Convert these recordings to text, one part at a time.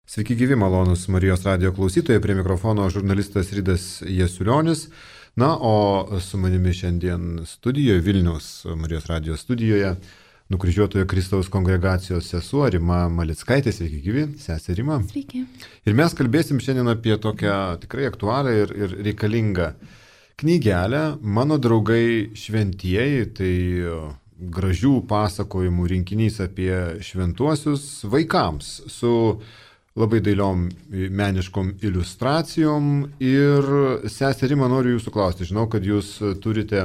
Sveiki gyvi, malonus Marijos radijo klausytojai, prie mikrofono žurnalistas Ridas Jasiulionis. Na, o su manimi šiandien studijoje, Vilniaus Marijos radijo studijoje, Nukryžiuotojo Kristaus kongregacijos sesuo Rima Malickaitė. Sveiki gyvi, sesė Rima. Sveiki. Ir mes kalbėsim šiandien apie tokią tikrai aktualią ir reikalingą knygelę Mano draugai šventieji. Tai gražių pasakojimų rinkinys apie šventuosius vaikams su labai dailiom meniškom iliustracijom. Ir sesė Rima, noriu jūsų klausti. Žinau, kad jūs turite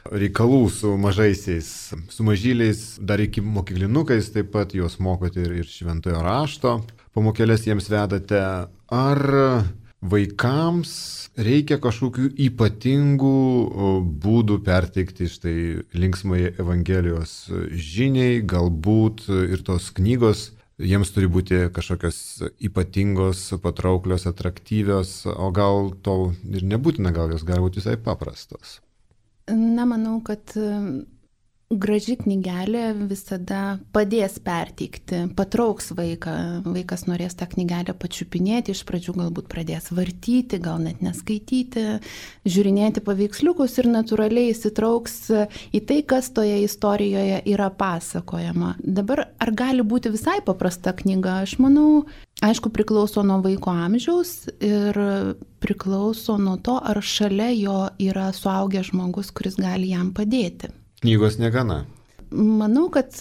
reikalų su mažaisiais, su mažyliais, dar iki mokyklinukais, taip pat juos mokote ir šventojo rašto. Pamokėlės jiems vedate. Ar vaikams reikia kažkokių ypatingų būdų perteikti štai linksmai Evangelijos žiniai, galbūt ir tos knygos jiems turi būti kažkokios ypatingos, patrauklios, atraktyvios, o gal to ir nebūtina, gal jos gali būti visai paprastos? Na, manau, kad graži knygelė visada padės perteikti, patrauks vaiką. Vaikas norės tą knygelę pačiupinėti, iš pradžių galbūt pradės vartyti, gal net neskaityti, žiūrinėti paveiksliukus ir natūraliai įsitrauks į tai, kas toje istorijoje yra pasakojama. Dabar ar gali būti visai paprasta knyga? Aš manau, aišku, priklauso nuo vaiko amžiaus ir priklauso nuo to, ar šalia jo yra suaugęs žmogus, kuris gali jam padėti. Knygos negana. Manau, kad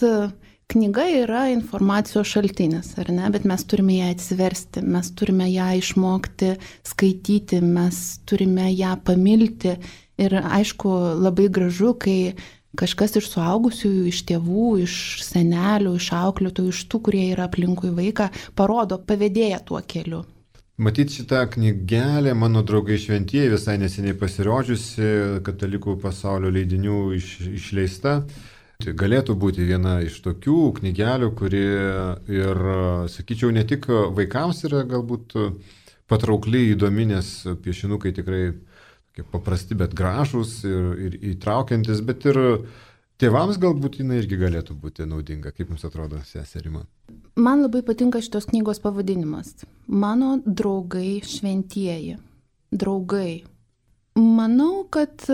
knyga yra informacijos šaltinis, ar ne? Bet mes turime ją atsiversti, mes turime ją išmokti skaityti, mes turime ją pamilti. Ir aišku, labai gražu, kai kažkas iš suaugusiųjų, iš tėvų, iš senelių, iš auklėtojų, iš tų, kurie yra aplinkui vaiką, parodo, pavedėja tuo keliu. Matyt, šitą knygelę Mano draugai šventieji visai neseniai pasirodžiusi Katalikų pasaulio leidinių išleista. Tai galėtų būti viena iš tokių knygelių, kuri ir, sakyčiau, ne tik vaikams yra galbūt patraukli, įdomi, nes piešinukai tikrai paprasti, bet gražūs ir įtraukiantis, bet ir tėvams galbūt jinai irgi galėtų būti naudinga. Kaip jums atrodo, sesė Rima? Man labai patinka šitos knygos pavadinimas. Mano draugai šventieji. Draugai. Manau, kad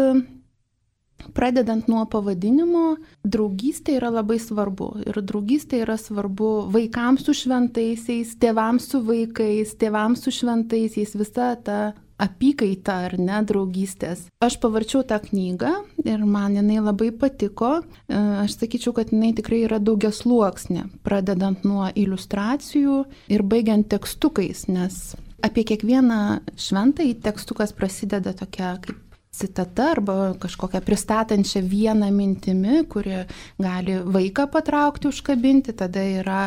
pradedant nuo pavadinimo, draugystė yra labai svarbu. Ir draugystė yra svarbu vaikams su šventaisiais, tėvams su vaikais, tėvams su šventaisiais, visa ta apykaita ar ne draugystės. Aš pavarčiau tą knygą ir man jinai labai patiko. Aš sakyčiau, kad jinai tikrai yra daugiasluoksnė, pradedant nuo iliustracijų ir baigiant tekstukais, nes apie kiekvieną šventąjį tekstukas prasideda tokia kaip citata arba kažkokią pristatančią vieną mintimi, kuri gali vaiką patraukti, užkabinti. Tada yra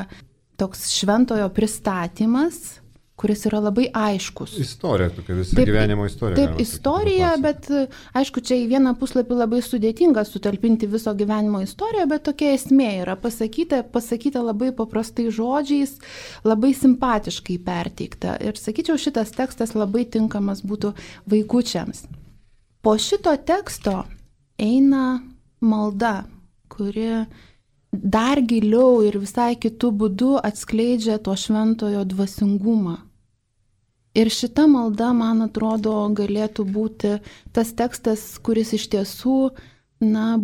toks šventojo pristatymas, kuris yra labai aiškus. Istorija, tokia visa gyvenimo istorija. Taip, istorija, bet aišku, čia į vieną puslapį labai sudėtinga sutalpinti viso gyvenimo istoriją, bet tokia esmė yra pasakyta labai paprastai žodžiais, labai simpatiškai perteikta. Ir sakyčiau, šitas tekstas labai tinkamas būtų vaikučiams. Po šito teksto eina malda, kuri dar giliau ir visai kitų būdų atskleidžia to šventojo dvasingumą. Ir šita malda, man atrodo, galėtų būti tas tekstas, kuris iš tiesų,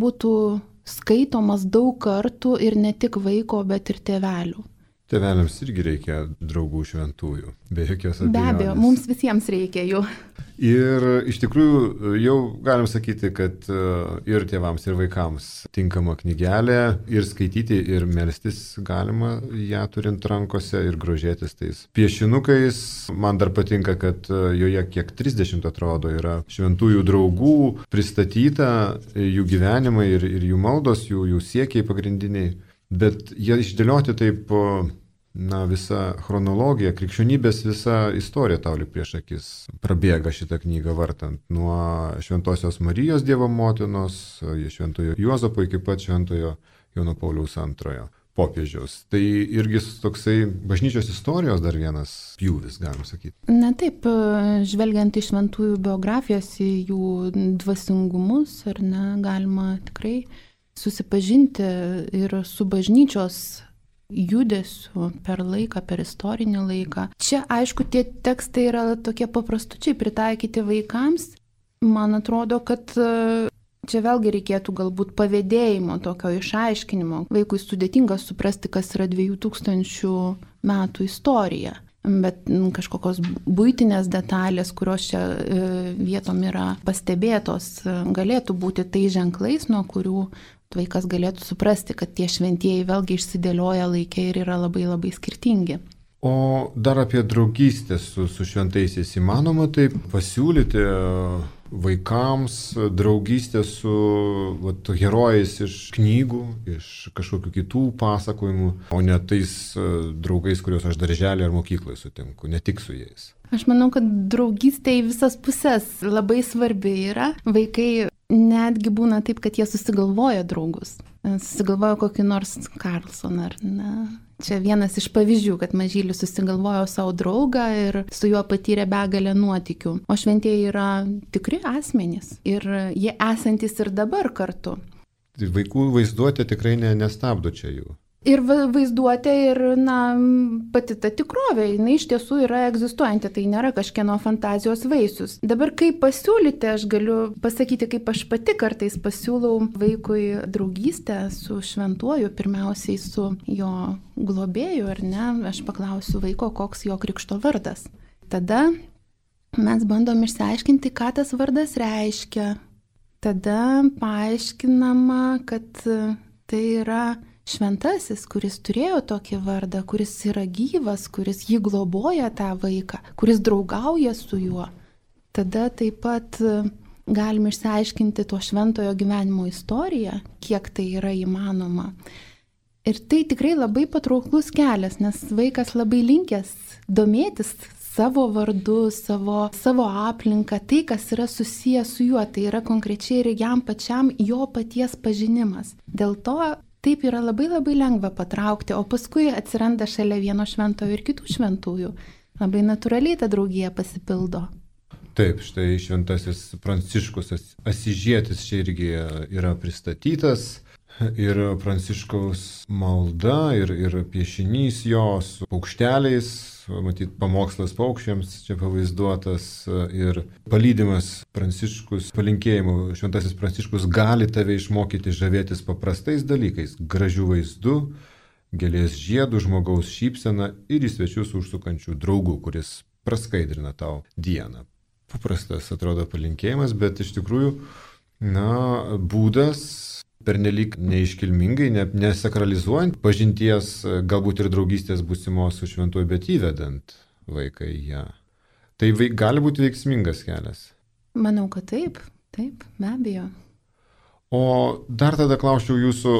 būtų skaitomas daug kartų ir ne tik vaiko, bet ir tėvelių. Tėveliams irgi reikia draugų šventųjų, be jokios abejonės. Be abejo, mums visiems reikia jų. Ir iš tikrųjų jau galim sakyti, kad ir tėvams, ir vaikams tinkama knygelė, ir skaityti, ir melstis galima ją turint rankose ir grožėtis tais piešinukais. Man dar patinka, kad joje kiek 30 atrodo yra šventųjų draugų pristatyta, jų gyvenimai ir jų maldos, jų siekiai pagrindiniai. Bet jie išdėlioti taip, visa chronologija, krikščionybės visa istorija tau lyg prieš akis prabėga šitą knygą vartant. Nuo Šventosios Marijos Dievo motinos, Šventojo Juozapo iki pat Šventojo Jono Pauliaus II popiežiaus. Tai irgi toksai bažnyčios istorijos dar vienas pjūvis, galim sakyti. Na taip, žvelgiant į šventųjų biografijas, į jų dvasingumus, ar ne, galima tikrai susipažinti ir su bažnyčios judesiu per laiką, per istorinį laiką. Čia, aišku, tie tekstai yra tokie paprastučiai pritaikyti vaikams. Man atrodo, kad čia vėlgi reikėtų galbūt pavėdėjimo, tokio išaiškinimo. Vaikui sudėtinga suprasti, kas yra 2000 metų istorija. Bet kažkokios buitinės detalės, kurios čia vietom yra pastebėtos, galėtų būti tai ženklais, nuo kurių vaikas galėtų suprasti, kad tie šventieji vėlgi išsidėlioja laikė ir yra labai labai skirtingi. O dar apie draugystę su šventaisiais įmanoma taip pasiūlyti vaikams draugystę su herojais iš knygų, iš kažkokių kitų pasakojimų, o ne tais draugais, kuriuos aš darželį ar mokykloje sutinku, ne tik su jais. Aš manau, kad draugystė į visas pusės labai svarbi yra. Vaikai netgi būna taip, kad jie susigalvoja draugus. Susigalvoja kokį nors Karlsoną ar ne. Čia vienas iš pavyzdžių, kad mažylis susigalvojo savo draugą ir su juo patyrė begalę nuotykių. O šventieji yra tikri asmenys ir jie esantis ir dabar kartu. Vaikų vaizduotė tikrai nestabdo čia jų. Ir vaizduotė ir, pati ta tikrovė, jinai iš tiesų yra egzistuojanti, tai nėra kažkieno fantazijos vaisius. Dabar kaip pasiūlyti, aš galiu pasakyti, kaip aš pati kartais pasiūlau vaikui draugystę su šventuoju, pirmiausiai su jo globėju, ar ne, aš paklausiu vaiko, koks jo krikšto vardas. Tada mes bandom išsiaiškinti, ką tas vardas reiškia. Tada paaiškinama, kad tai yra šventasis, kuris turėjo tokį vardą, kuris yra gyvas, kuris jį globoja tą vaiką, kuris draugauja su juo. Tada taip pat galime išsiaiškinti to šventojo gyvenimo istoriją, kiek tai yra įmanoma. Ir tai tikrai labai patrauklus kelias, nes vaikas labai linkęs domėtis savo vardu, savo aplinką, tai, kas yra susijęs su juo, tai yra konkrečiai ir jam pačiam jo paties pažinimas. Dėl to taip yra labai labai lengva patraukti, o paskui atsiranda šalia vieno šventojo ir kitų šventųjų. Labai natūraliai ta draugija pasipildo. Taip, štai šventasis Pranciškus Asižietis čia irgi yra pristatytas. Ir Pranciškaus malda, ir piešinys jo su paukšteliais, matyt, pamokslas paukščiams čia pavaizduotas, ir palydimas Pranciškus palinkėjimu. Šventasis Pranciškus gali tave išmokyti žavėtis paprastais dalykais, gražių vaizdų, gėlės žiedų, žmogaus šypseną ir į svečius užsukančių draugų, kuris praskaidrina tau dieną. Paprastas atrodo palinkėjimas, bet iš tikrųjų, būdas pernelyg neiškilmingai, nesakralizuojant pažinties, galbūt ir draugystės būsimos su šventuoju, bet įvedant vaiką į ją. Tai gali būti veiksmingas kelias. Manau, kad taip, be abejo. O dar tada klausčiau jūsų,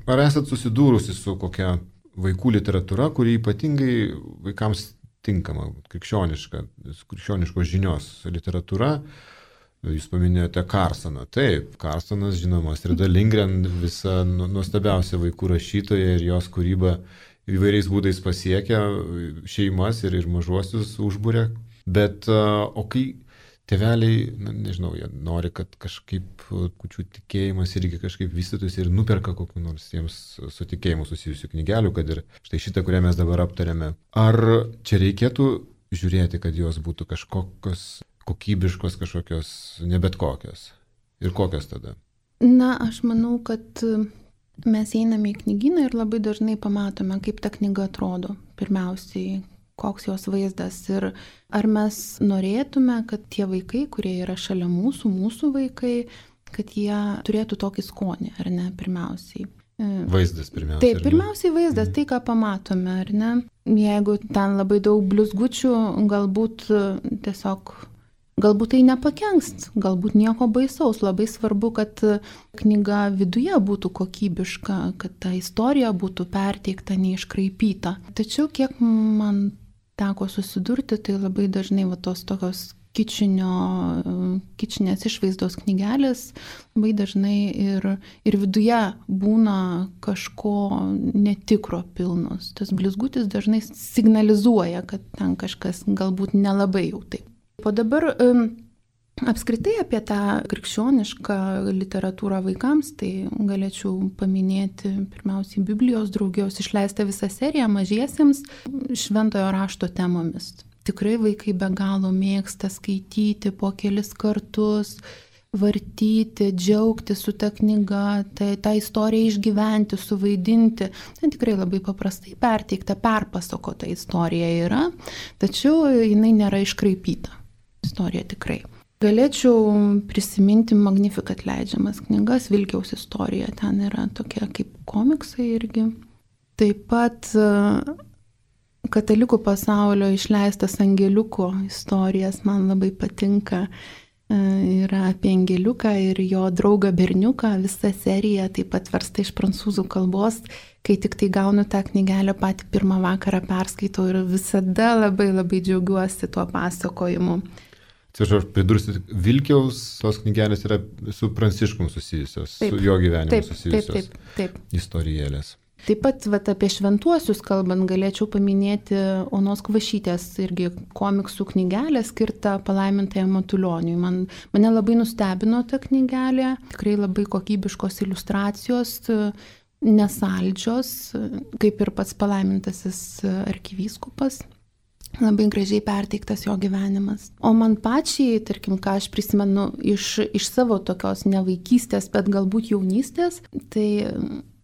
ar esat susidūrusi su kokia vaikų literatūra, kuri ypatingai vaikams tinkama, krikščioniškos žinios literatūra? Jūs paminėjote Karsoną. Taip, Karsonas, žinoma, Astrida Lindgren, visa nuostabiausia vaikų rašytoja ir jos kūryba įvairiais būdais pasiekia šeimas ir mažuosius užbūrė. Bet, o kai tėveliai, nežinau, jie nori, kad kažkaip kučių tikėjimas irgi kažkaip vystytųsi ir nuperka kokių nors jiems su tikėjimu susijusių knygelių, kad ir štai šitą, kurią mes dabar aptarėme. Ar čia reikėtų žiūrėti, kad jos būtų kažkokios kokybiškos, kažkokios, ne bet kokios? Ir kokios tada? Aš manau, kad mes einame į knygyną ir labai dažnai pamatome, kaip ta knyga atrodo. Pirmiausiai, koks jos vaizdas ir ar mes norėtume, kad tie vaikai, kurie yra šalia mūsų vaikai, kad jie turėtų tokį skonį, ar ne, pirmiausiai. Vaizdas pirmiausiai. Taip, pirmiausiai vaizdas, tai ką pamatome, ar ne? Jeigu ten labai daug blizgučių, galbūt tai nepakenks, galbūt nieko baisaus. Labai svarbu, kad knyga viduje būtų kokybiška, kad ta istorija būtų perteikta, neiškraipyta. Tačiau kiek man teko susidurti, tai labai dažnai tos tokios kičinės išvaizdos knygelės labai dažnai ir viduje būna kažko netikro pilnos. Tas blizgutis dažnai signalizuoja, kad ten kažkas galbūt nelabai jau taip. O dabar Apskritai apie tą krikščionišką literatūrą vaikams, tai galėčiau paminėti pirmiausiai Biblijos draugijos išleistą visą seriją mažiesiems šventojo rašto temomis. Tikrai vaikai be galo mėgsta skaityti po kelis kartus, vartyti, džiaugti su ta knyga, tą istoriją išgyventi, suvaidinti. Ten tikrai labai paprastai perteikta, perpasakota istorija yra, tačiau jinai nėra iškraipyta. Istorija tikrai. Galėčiau prisiminti Magnificat leidžiamas knygas, Vilkiaus istorija, ten yra tokia kaip komiksai irgi. Taip pat katalikų pasaulio išleistas Angeliuko istorijas man labai patinka. Yra apie Angeliuką ir jo draugą berniuką, visa serija taip pat versta iš prancūzų kalbos. Kai tik tai gaunu tą knygelę, patį pirmą vakarą perskaitau ir visada labai džiaugiuosi tuo pasakojimu. Atsiprašau, aš pridursiu, Vilkiaus tos knygelės yra su Pranciškum susijusios, taip, su jo gyvenimu susijusios taip. Istorijėlės. Taip pat apie šventuosius kalbant galėčiau paminėti Onos Kvašytės irgi komiksų knygelę skirtą palaimintajam Matulioniui. Mane labai nustebino ta knygelė, tikrai labai kokybiškos iliustracijos, nesaldžios, kaip ir pats palaimintasis arkivyskupas. Labai gražiai perteiktas jo gyvenimas. O man pačiai, tarkim, ką aš prisimenu iš savo tokios ne vaikystės, bet galbūt jaunystės, tai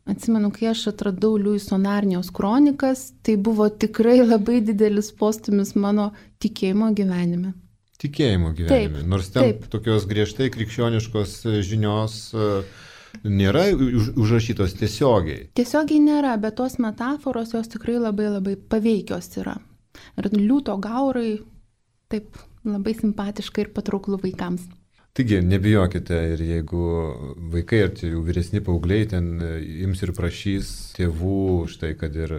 atsimenu, kai aš atradau Liuiso Narnijos kronikas, tai buvo tikrai labai didelis postūmis mano tikėjimo gyvenime. Tikėjimo gyvenime. Taip, nors ten tokios griežtai krikščioniškos žinios nėra užrašytos tiesiogiai. Tiesiogiai nėra, bet tos metaforos jos tikrai labai paveikios yra. Ir liūto gaurai, taip, labai simpatiška ir patrauklu vaikams. Taigi, nebijokite ir jeigu vaikai ar jau vyresni paaugliai ten ims ir prašys tėvų štai, kad ir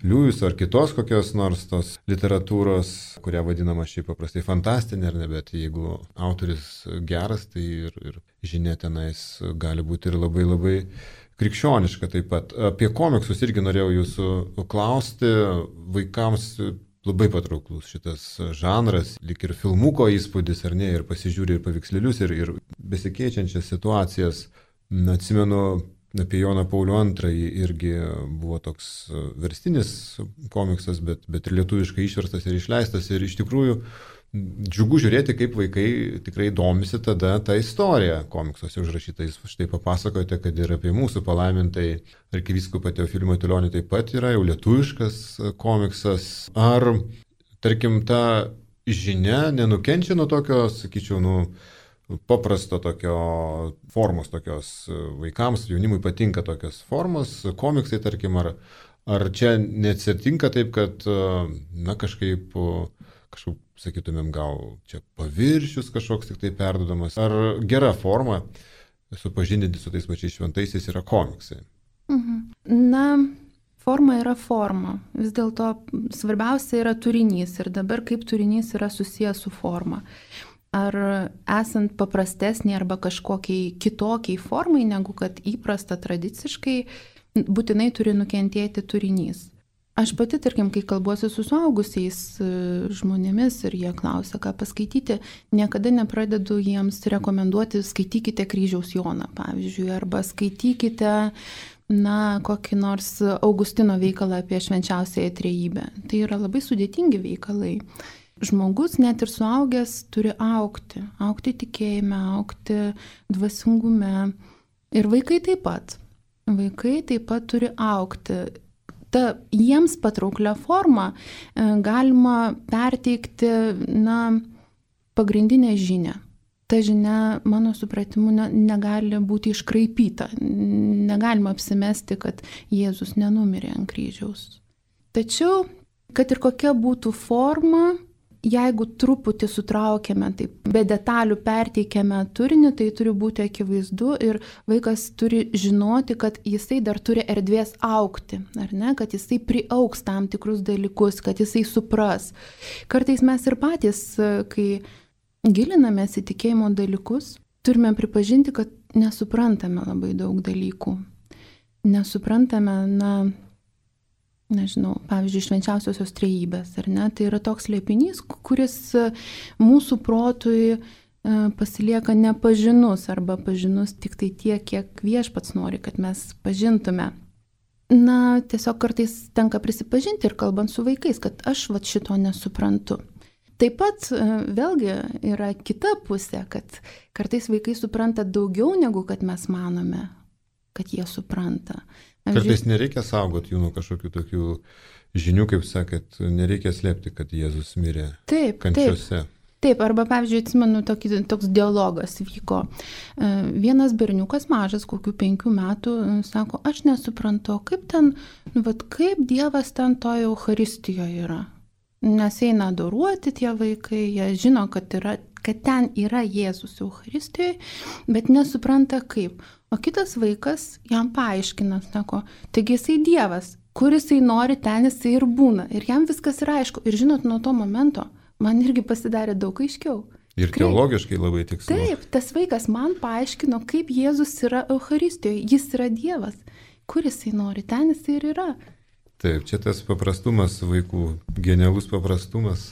Liujiso ar kitos kokios nors tos literatūros, kurią vadinama šiaip paprastai fantastinė, ar ne, bet jeigu autoris geras, tai ir žinia tenais gali būti ir labai krikščioniška taip pat. Apie komiksus irgi norėjau jūsų klausti, vaikams labai patrauklus šitas žanras, lyg ir filmuko įspūdis, ar ne, ir pasižiūri ir paveikslėlius, ir besikeičiančias situacijas. Atsimenu, apie Joną Paulių II irgi buvo toks verstinis komiksas, bet ir lietuviškai išverstas ir išleistas, ir iš tikrųjų džiugu žiūrėti, kaip vaikai tikrai domisi tada tą istoriją komiksuose užrašytais. Štai papasakote, kad ir apie mūsų palaimintai arkivyskupą Teofilį Matulionį taip pat yra jau lietuviškas komiksas. Ar, tarkim, ta žinia nenukenčia nuo tokio, sakyčiau, paprasto tokio formos tokios vaikams, jaunimui patinka tokios formos, komiksai, tarkim, ar čia neatsitinka taip, kad, kažkaip, sakytumėm, gal čia paviršius kažkoks tik tai perduodamas, ar gera forma supažindinti su tais pačiais šventaisiais yra komiksai? Forma yra forma. Vis dėlto svarbiausia yra turinys ir dabar kaip turinys yra susijęs su forma. Ar esant paprastesnė arba kažkokiai kitokiai formai, negu kad įprasta tradiciškai, būtinai turi nukentėti turinys. Aš pati, tarkim, kai kalbuosi su suaugusiais žmonėmis ir jie klausia, ką paskaityti, niekada nepradedu jiems rekomenduoti skaitykite Kryžiaus Joną, pavyzdžiui, arba skaitykite, kokį nors Augustino veikalą apie švenčiausiąją trejybę. Tai yra labai sudėtingi veikalai. Žmogus, net ir suaugęs, turi augti tikėjime, augti dvasingume. Ir vaikai taip pat. Vaikai taip pat turi augti. Ta jiems patrauklia forma galima perteikti, pagrindinę žinią. Ta žinia, mano supratimu, negali būti iškraipyta. Negalima apsimesti, kad Jėzus nenumirė ant kryžiaus. Tačiau, kad ir kokia būtų forma, jeigu truputį sutraukiame, taip, be detalių perteikiame turinį, tai turi būti akivaizdu ir vaikas turi žinoti, kad jisai dar turi erdvės augti, ar ne, kad jisai priaugs tam tikrus dalykus, kad jisai supras. Kartais mes ir patys, kai gilinamės į tikėjimo dalykus, turime pripažinti, kad nesuprantame labai daug dalykų. Nesuprantame, nežinau, pavyzdžiui, švenčiausiosios trejybės, ar ne? Tai yra toks slėpinys, kuris mūsų protui pasilieka nepažinus arba pažinus tik tai tiek, kiek Viešpats nori, kad mes pažintume. Na, tiesiog kartais tenka prisipažinti ir kalbant su vaikais, kad aš šito nesuprantu. Taip pat vėlgi yra kita pusė, kad kartais vaikai supranta daugiau negu kad mes manome, kad jie supranta. Kartais nereikia saugoti jų nuo kažkokių tokių žinių, kaip sakėt, nereikia slėpti, kad Jėzus mirė kančiose. Taip, arba, pavyzdžiui, atsimenu, toks dialogas vyko. Vienas berniukas mažas, kokių 5 metų, sako, aš nesuprantu, kaip kaip Dievas ten toje Eucharistijoje yra. Nes eina adoruoti tie vaikai, jie žino, kad ten yra Jėzus Eucharistijoje, bet nesupranta kaip. O kitas vaikas jam paaiškina, sako, taigi jisai Dievas, kur jisai nori, ten jisai ir būna. Ir jam viskas yra aišku. Ir žinot, nuo to momento man irgi pasidarė daug aiškiau. Ir teologiškai labai tikslu. Taip, tas vaikas man paaiškino, kaip Jėzus yra Eucharistijoje, jis yra Dievas. Kur jisai nori, ten jisai ir yra. Taip, čia tas paprastumas vaikų, genialus paprastumas,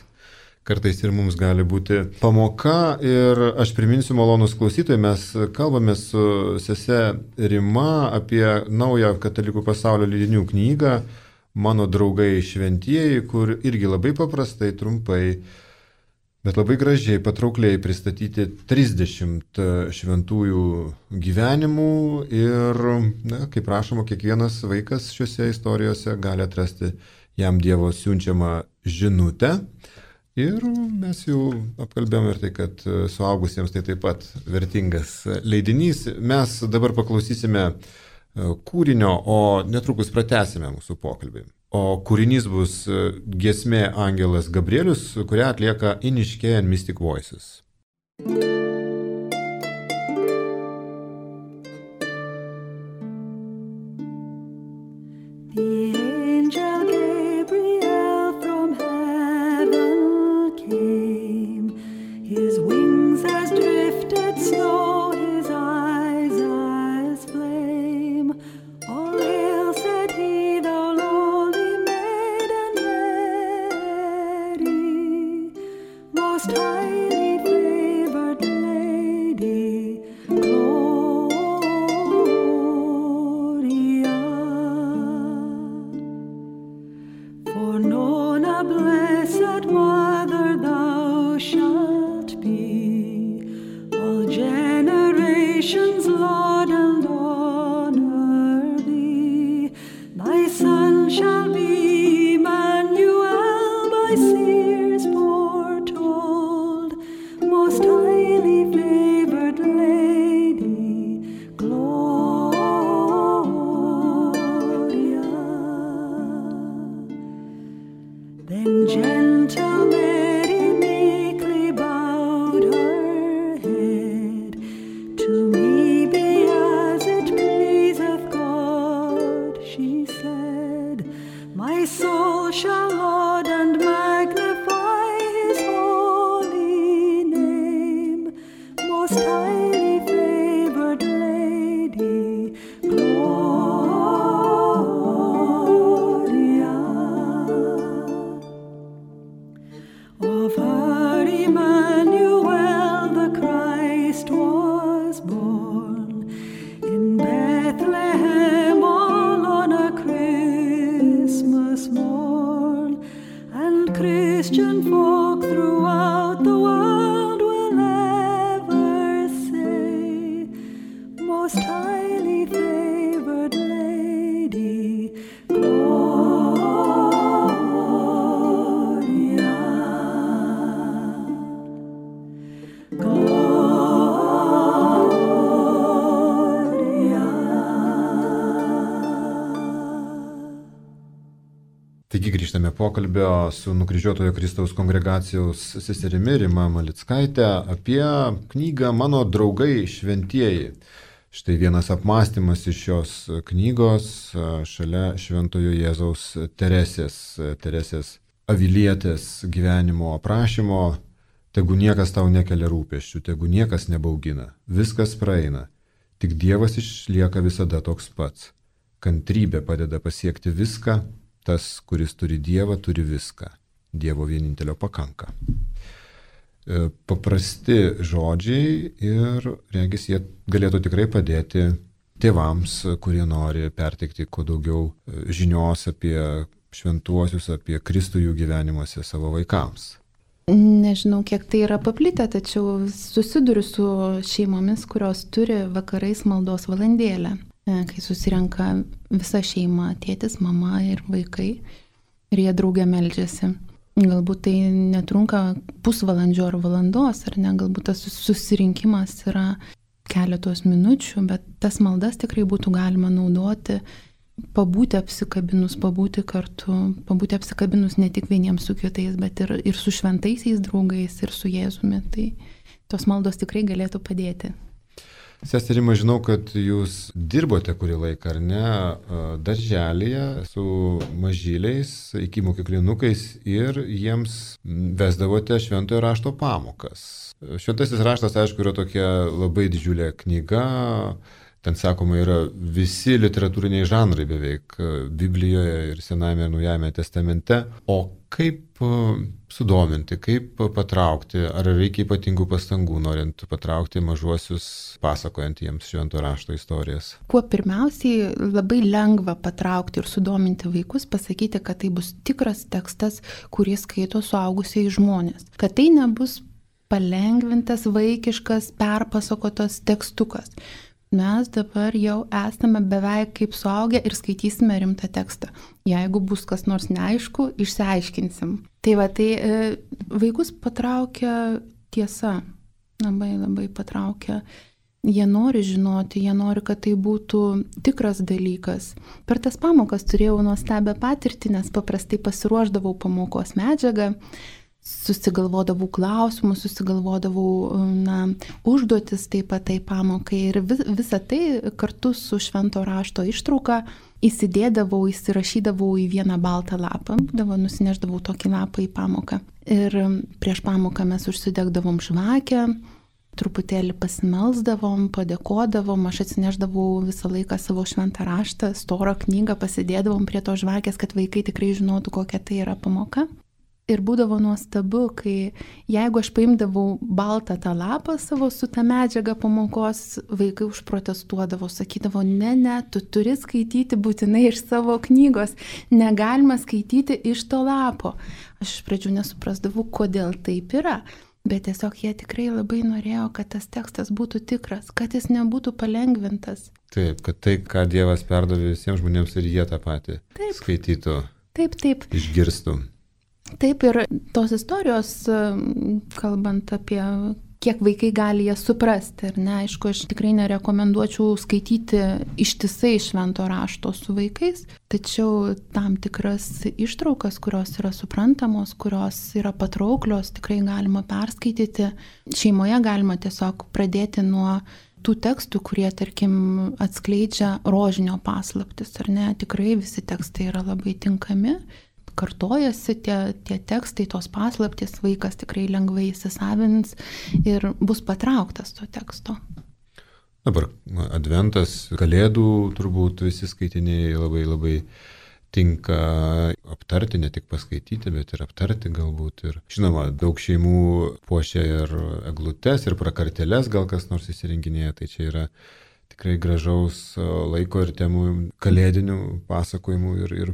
kartais ir mums gali būti pamoka. Ir aš priminsiu, malonus klausytojai, mes kalbame su sese Rima apie naują Katalikų pasaulio leidinių knygą Mano draugai šventieji, kur irgi labai paprastai, trumpai, bet labai gražiai, patraukliai pristatyti 30 šventųjų gyvenimų ir, kaip rašoma, kiekvienas vaikas šiuose istorijose gali atrasti jam Dievo siunčiamą žinutę. Ir mes jau apkalbėjome ir tai, kad suaugusiems tai taip pat vertingas leidinys. Mes dabar paklausysime kūrinio, o netrukus pratęsime mūsų pokalbį. O kūrinys bus giesmė Angelas Gabrielius, kurią atlieka Iniške and Mystic Voices. Taigi grįžtame pokalbio su nukryžiuotojo Kristaus kongregacijos seserimi Rima Malickaite apie knygą Mano draugai šventieji. Štai vienas apmąstymas iš šios knygos šalia Šventojo Jėzaus Teresės Avilietės gyvenimo aprašymo. Tegu niekas tau nekelia rūpesčių, tegu niekas nebaugina, viskas praeina, tik Dievas išlieka visada toks pats. Kantrybė padeda pasiekti viską. Tas, kuris turi Dievą, turi viską. Dievo vienintelio pakanka. paprasti žodžiai ir, regis, jie galėtų tikrai padėti tėvams, kurie nori perteikti kuo daugiau žinios apie šventuosius, apie Kristų jų gyvenimuose savo vaikams. Nežinau, kiek tai yra paplitę, tačiau susiduriu su šeimomis, kurios turi vakarais maldos valandėlę, kai susirenka visa šeima, tėtis, mama ir vaikai, ir jie draugė meldžiasi. Galbūt tai netrunka pusvalandžio ar valandos, ar ne, galbūt tas susirinkimas yra keletos minučių, bet tas maldas tikrai būtų galima naudoti, pabūti apsikabinus, pabūti kartu, pabūti apsikabinus ne tik vieniems su kitais, bet ir su šventaisiais draugais, ir su Jėzumi. Tai tos maldos tikrai galėtų padėti. Seserima, žinau, kad jūs dirbote kurį laiką, ar ne, darželėje su mažyliais, iki mokyklinukais ir jiems vesdavote šventojo rašto pamokas. Šventasis raštas, aišku, yra tokia labai didžiulė knyga. Ten, sakoma, yra visi literatūriniai žanrai beveik Biblijoje ir Senajame ir Naujajame testamente. O kaip sudominti, kaip patraukti, ar reikia ypatingų pastangų, norint patraukti mažuosius, pasakojant jiems švento rašto istorijas? Kuo pirmiausiai labai lengva patraukti ir sudominti vaikus, pasakyti, kad tai bus tikras tekstas, kurį skaito suaugusiai žmonės. Kad tai nebus palengvintas, vaikiškas, perpasakotas tekstukas. Mes dabar jau esame beveik kaip suaugę ir skaitysime rimtą tekstą. Jeigu bus kas nors neaišku, išsiaiškinsim. Tai vaikus patraukia tiesa, labai patraukia. Jie nori žinoti, jie nori, kad tai būtų tikras dalykas. Per tas pamokas turėjau nuostabią patirtį, nes paprastai pasiruošdavau pamokos medžiagą, susigalvodavau klausimus, susigalvodavau užduotis taip pat tai pamokai ir visą tai kartu su švento rašto ištrauka įsirašydavau į vieną baltą lapą, nusineždavau tokį lapą į pamoką. Ir prieš pamoką mes užsidegdavom žvakę, truputėlį pasimelsdavom, padėkodavom, aš atsineždavau visą laiką savo šventą raštą, storą knygą, pasidėdavom prie to žvakės, kad vaikai tikrai žinotų, kokia tai yra pamoka. Ir būdavo nuostabu, kai jeigu aš paimdavau baltą tą lapą savo su tą medžiagą pamokos, vaikai užprotestuodavo, sakydavo, ne, tu turi skaityti būtinai iš savo knygos, negalima skaityti iš to lapo. Aš iš pradžių nesuprasdavau, kodėl taip yra, bet tiesiog jie tikrai labai norėjo, kad tas tekstas būtų tikras, kad jis nebūtų palengvintas. Taip, kad tai, ką Dievas perdavė visiems žmonėms ir jie tą patį skaitytų, išgirstų. Taip, ir tos istorijos, kalbant apie kiek vaikai gali jas suprasti, ar ne, aišku, aš tikrai nerekomenduočiau skaityti ištisai švento rašto su vaikais, tačiau tam tikras ištraukas, kurios yra suprantamos, kurios yra patrauklios, tikrai galima perskaityti. Šeimoje galima tiesiog pradėti nuo tų tekstų, kurie, tarkim, atskleidžia rožinio paslaptis, ar ne, tikrai visi tekstai yra labai tinkami. Kartojasi tie tekstai, tos paslaptys, vaikas tikrai lengvai įsisavins ir bus patrauktas to teksto. Dabar adventas, kalėdų turbūt visi skaitiniai labai tinka aptarti, ne tik paskaityti, bet ir aptarti galbūt. Ir žinoma, daug šeimų puošia ir eglutes, ir prakartėles, gal kas nors įsirenginėja, tai čia yra tikrai gražaus laiko ir temų kalėdinių pasakojimų ir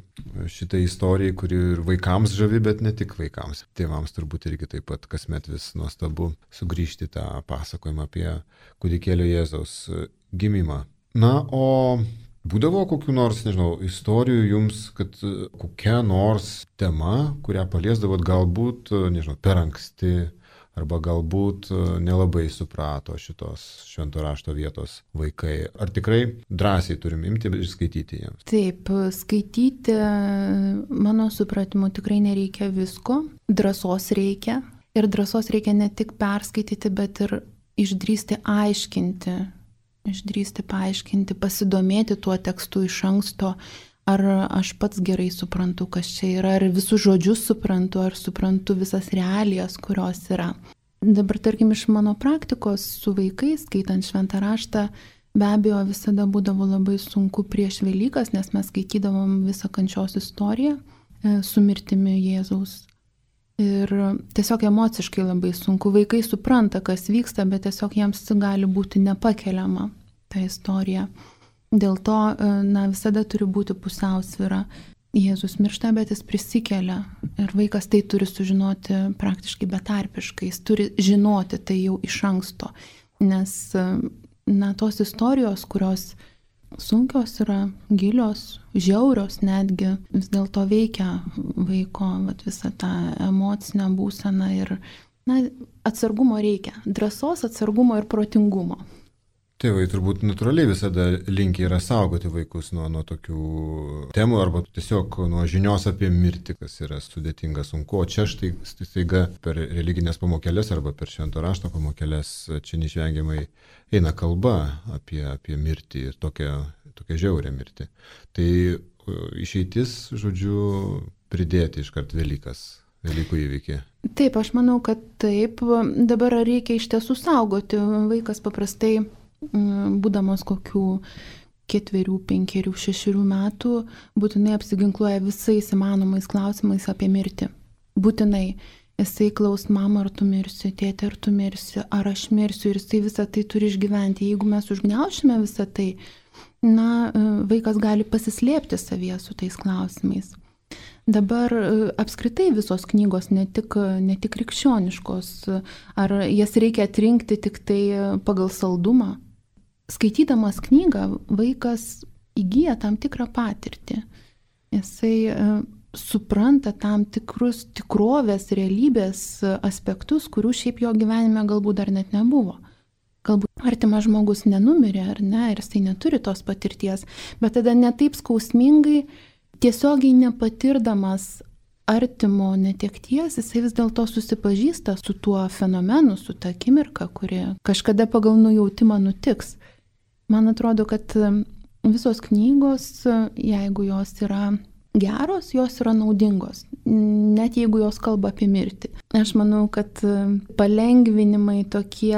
šitai istorijai, kuri ir vaikams žavi, bet ne tik vaikams. Tėvams turbūt irgi taip pat kasmet vis nuostabu sugrįžti tą pasakojimą apie kūdikėlio Jėzaus gimimą. Na, o būdavo kokių nors, nežinau, istorijų jums, kad kokia nors tema, kurią paliesdavot galbūt, nežinau, per anksti, arba galbūt nelabai suprato šitos švento rašto vietos vaikai. Ar tikrai drąsiai turim imti ir skaityti jiems? Taip, skaityti, mano supratimu, tikrai nereikia visko. Drąsos reikia. Ir drąsos reikia ne tik perskaityti, bet ir išdrįsti aiškinti. Išdrįsti paaiškinti, pasidomėti tuo tekstu iš anksto. Ar aš pats gerai suprantu, kas čia yra, ar visus žodžius suprantu, ar suprantu visas realijas, kurios yra. Dabar, tarkim, iš mano praktikos su vaikais, skaitant šventą raštą, be abejo visada būdavo labai sunku prieš Velykas, nes mes skaitydavom visą kančios istoriją su mirtimi Jėzaus. Ir tiesiog emociškai labai sunku. Vaikai supranta, kas vyksta, bet tiesiog jiems gali būti nepakeliama ta istorija. Dėl to, visada turi būti pusiausvyra. Jėzus miršta, bet jis prisikelia. Ir vaikas tai turi sužinoti praktiškai betarpiškai. Jis turi žinoti tai jau iš anksto. Nes, tos istorijos, kurios sunkios yra, gilios, žiaurios netgi, vis dėlto veikia vaiko visą tą emocinę būseną ir atsargumo reikia. Drąsos, atsargumo ir protingumo. Tėvai turbūt natūraliai visada linkę yra saugoti vaikus nuo tokių temų arba tiesiog nuo žinios apie mirtį, kas yra sudėtinga, sunku. O čia štai staiga per religinės pamokėlės arba per švento rašto pamokėlės čia neišvengiamai eina kalba apie mirtį ir tokią žiaurią mirtį. Tai išeitis, žodžiu, pridėti iškart Velykų įvykį. Taip, aš manau, kad taip. Dabar reikia iš tiesų saugoti. Vaikas paprastai, būdamas kokių 4, 5, 6 metų, būtinai apsiginkluoja visais įmanomais klausimais apie mirtį. Būtinai. Jisai klaus, mama, ar tu mirsi, tėtė, ar tu mirsi, ar aš mirsiu, ir jisai visą tai turi išgyventi. Jeigu mes užgniaušime visą tai, vaikas gali pasislėpti savyje su tais klausimais. Dabar apskritai visos knygos, ne tik krikščioniškos, ar jas reikia atrinkti tik tai pagal saldumą. Skaitydamas knygą, vaikas įgyja tam tikrą patirtį. Jisai supranta tam tikrus tikrovės, realybės aspektus, kurių šiaip jo gyvenime galbūt dar net nebuvo. Galbūt artimas žmogus nenumirė, ar ne, ir jisai neturi tos patirties, bet tada netaip skausmingai, tiesiogiai nepatirdamas artimo netekties, jisai vis dėlto susipažįsta su tuo fenomenu, su ta akimirka, kuri kažkada pagal nujautimą nutiks. Man atrodo, kad visos knygos, jeigu jos yra geros, jos yra naudingos, net jeigu jos kalba apie mirtį. Aš manau, kad palengvinimai tokie,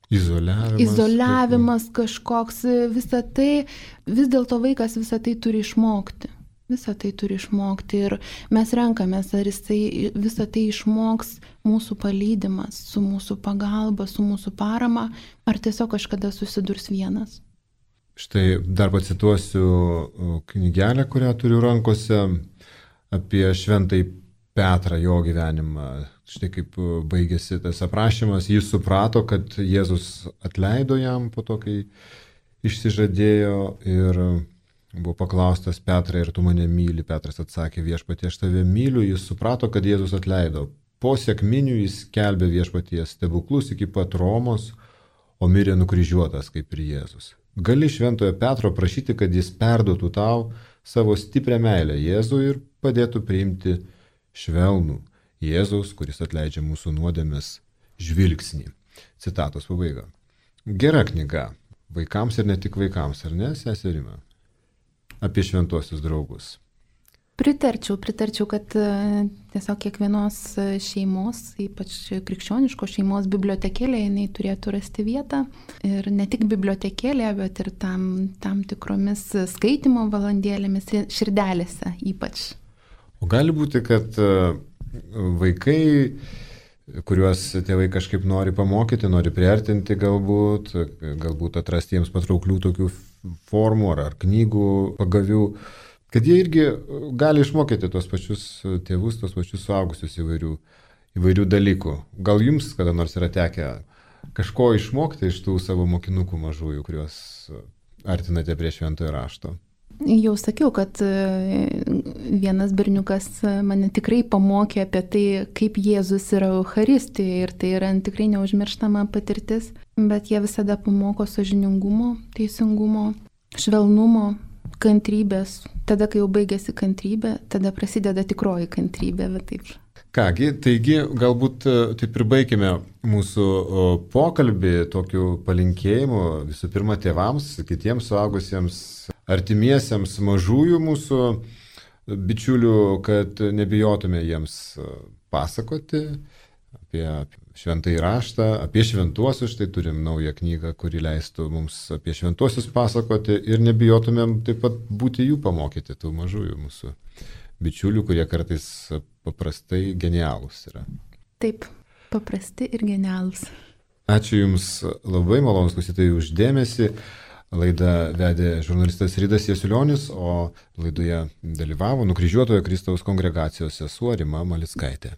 izoliavimas kažkoks, visą tai, vis dėlto vaikas visą tai turi išmokti. Visą tai turi išmokti ir mes renkamės, ar jisai visą tai išmoks mūsų palydimas, su mūsų pagalba, su mūsų parama, ar tiesiog kažkada susidurs vienas. Štai dar pacituosiu knygelę, kurią turiu rankose, apie šventąjį Petrą, jo gyvenimą. Štai kaip baigėsi tas aprašymas, jis suprato, kad Jėzus atleido jam po to, kai išsižadėjo, ir buvo paklaustas: Petrai, ar tu mane myli? Petras atsakė: Viešpatie, aš tave myliu. Jis suprato, kad Jėzus atleido. Po sekminių jis skelbė Viešpaties stebuklus iki pat Romos, o mirė nukryžiuotas kaip ir Jėzus. Gali šventojo Petro prašyti, kad jis perduotų tau savo stiprią meilę Jėzui ir padėtų priimti švelnų Jėzaus, kuris atleidžia mūsų nuodėmes, žvilgsnį. Citatos pabaiga. Gera knyga. Vaikams ir ne tik vaikams, ar ne, seserima? Apie šventuosius draugus. Pritarčiau, kad tiesiog kiekvienos šeimos, ypač krikščioniškos šeimos bibliotekėlė, jinai turėtų rasti vietą. Ir ne tik bibliotekėlė, bet ir tam tikromis skaitimo valandėlėmis, širdelėse ypač. O gali būti, kad vaikai, kuriuos tėvai kažkaip nori pamokyti, nori priartinti galbūt atrasti jiems patrauklių tokių formų ar knygų pagavių, kad jie irgi gali išmokyti tos pačius tėvus, tos pačius suaugusius įvairių dalykų. Gal jums kada nors yra tekę kažko išmokti iš tų savo mokinukų mažųjų, kuriuos artinate prie šventojo rašto? Jau sakiau, kad vienas berniukas mane tikrai pamokė apie tai, kaip Jėzus yra Eucharistijoje, ir tai yra tikrai neužmirštama patirtis, bet jie visada pamoko sąžiningumo, teisingumo, švelnumo, kantrybės. Tada, kai jau baigėsi kantrybė, tada prasideda tikroji kantrybė, bet taip. Kągi, taigi galbūt taip ir baigime mūsų pokalbį tokiu palinkėjimu visų pirma tėvams, kitiems suaugusiems, artimiesiems mažųjų mūsų bičiulių, kad nebijotume jiems pasakoti apie šventąjį raštą, apie šventuosius. Štai turim naują knygą, kuri leistų mums apie šventuosius pasakoti, ir nebijotumėm taip pat būti jų pamokyti, tų mažųjų mūsų bičiulių, kurie kartais paprastai genialūs yra. Taip, paprasti ir genialūs. Ačiū Jums labai, malonūs klausytojai, už dėmesį. Laidą vedė žurnalistas Rydas Jasiulionis, o laidoje dalyvavo Nukryžiuotojo Kristaus kongregacijos sesuo Rima Malickaitė.